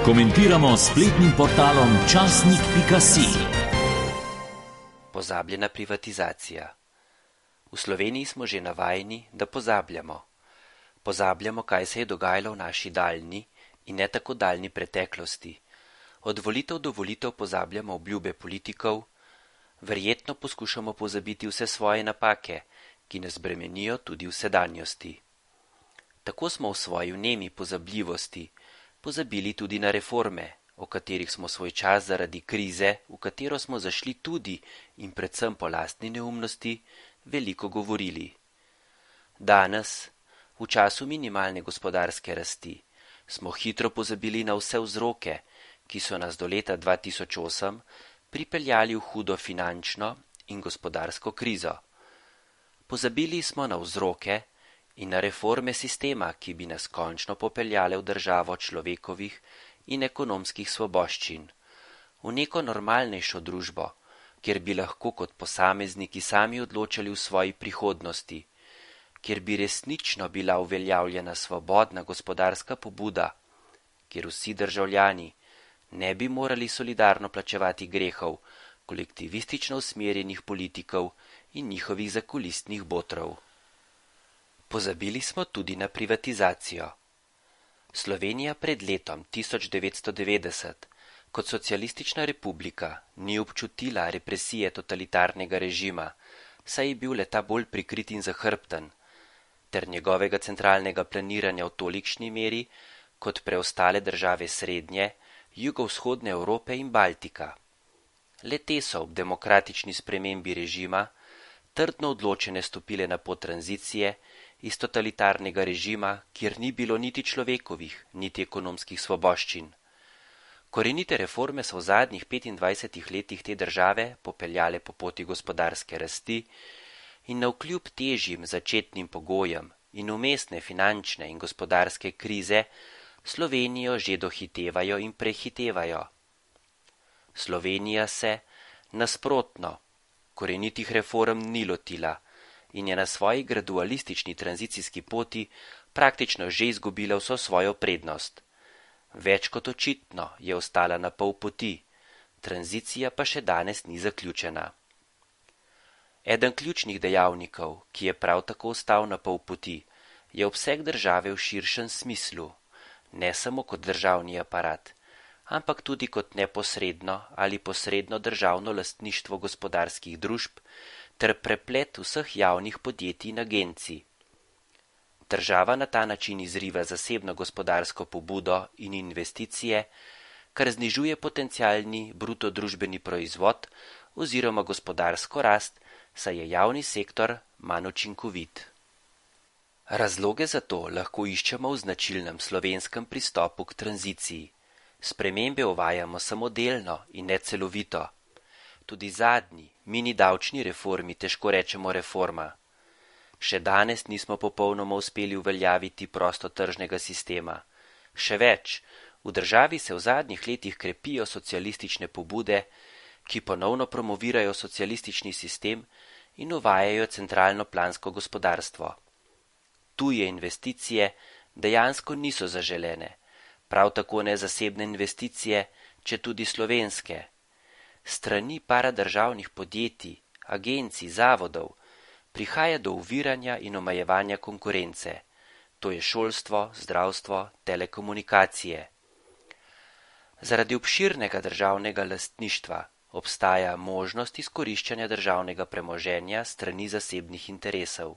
Komentiramo s spletnim portalom časnik.si. Pozabljena privatizacija. V Sloveniji smo že navajeni, da pozabljamo. Pozabljamo, kaj se je dogajalo v naši daljni in ne tako daljni preteklosti. Od volitev do volitev pozabljamo obljube politikov, verjetno poskušamo pozabiti vse svoje napake, ki nas bremenijo tudi v sedanjosti. Tako smo v svoji vnemi pozabljivosti pozabili tudi na reforme, o katerih smo svoj čas zaradi krize, v katero smo zašli tudi in predvsem po lastni neumnosti, veliko govorili. Danes, v času minimalne gospodarske rasti, smo hitro pozabili na vse vzroke, ki so nas do leta 2008 pripeljali v hudo finančno in gospodarsko krizo. Pozabili smo na vzroke in na reforme sistema, ki bi nas končno popeljale v državo človekovih in ekonomskih svoboščin, v neko normalnejšo družbo, kjer bi lahko kot posamezniki sami odločali v svoji prihodnosti, kjer bi resnično bila uveljavljena svobodna gospodarska pobuda, kjer vsi državljani ne bi morali solidarno plačevati grehov kolektivistično usmerjenih politikov in njihovih zakulistnih botrov. Pozabili smo tudi na privatizacijo. Slovenija pred letom 1990 kot socialistična republika ni občutila represije totalitarnega režima, saj je bil le-ta bolj prikrit in zahrbten, ter njegovega centralnega planiranja v tolikšni meri kot preostale države srednje, jugovzhodne Evrope in Baltika. Le-te so ob demokratični spremembi režima trdno odločene stopile na pot tranzicije iz totalitarnega režima, kjer ni bilo niti človekovih, niti ekonomskih svoboščin. Korenite reforme so v zadnjih 25 letih te države popeljale po poti gospodarske rasti in navkljub težjim začetnim pogojem in vmesne finančne in gospodarske krize Slovenijo že dohitevajo in prehitevajo. Slovenija se, nasprotno, korenitih reform ni lotila in je na svoji gradualistični tranzicijski poti praktično že izgubila vso svojo prednost. Več kot očitno je ostala na pol poti, tranzicija pa še danes ni zaključena. Eden ključnih dejavnikov, ki je prav tako ostal na pol poti, je obseg države v širšem smislu, ne samo kot državni aparat, ampak tudi kot neposredno ali posredno državno lastništvo gospodarskih družb ter preplet vseh javnih podjetij in agencij. Država na ta način izriva zasebno gospodarsko pobudo in investicije, kar znižuje potencialni bruto družbeni proizvod oziroma gospodarsko rast, saj je javni sektor manj učinkovit. Razloge za to lahko iščemo v značilnem slovenskem pristopu k tranziciji. Spremembe uvajamo samo delno in ne celovito. Tudi zadnji, mini davčni reformi težko rečemo reforma. Še danes nismo popolnoma uspeli uveljaviti prostotržnega sistema. Še več, v državi se v zadnjih letih krepijo socialistične pobude, ki ponovno promovirajo socialistični sistem in uvajajo centralno plansko gospodarstvo. Tuje investicije dejansko niso zaželene, prav tako ne zasebne investicije, če tudi slovenske. Strani paradržavnih podjetij, agencij, zavodov prihaja do oviranja in omejevanja konkurence, to je šolstvo, zdravstvo, telekomunikacije. Zaradi obširnega državnega lastništva obstaja možnost izkoriščanja državnega premoženja strani zasebnih interesov.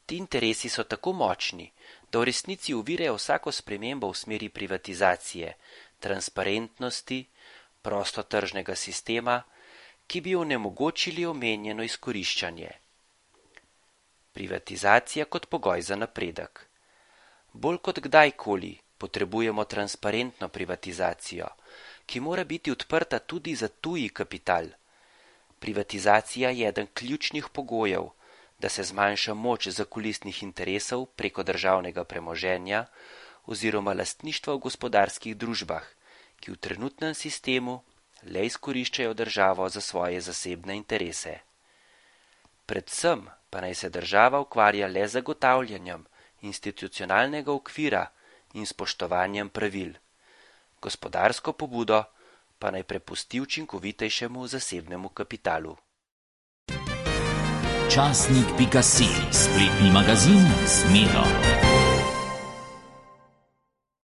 Ti interesi so tako močni, da v resnici ovirajo vsako spremembo v smeri privatizacije, transparentnosti, prostotržnega sistema, ki bi onemogočili omenjeno izkoriščanje. Privatizacija kot pogoj za napredek. Bolj kot kdajkoli potrebujemo transparentno privatizacijo, ki mora biti odprta tudi za tuji kapital. Privatizacija je eden ključnih pogojev, da se zmanjša moč zakulisnih interesov preko državnega premoženja oziroma lastništva v gospodarskih družbah, ki v trenutnem sistemu le izkoriščajo državo za svoje zasebne interese. Predvsem pa naj se država ukvarja le z zagotavljanjem institucionalnega okvira in spoštovanjem pravil. Gospodarsko pobudo pa naj prepusti učinkovitejšemu zasebnemu kapitalu. Časnik.si, spletni magazin z Miro.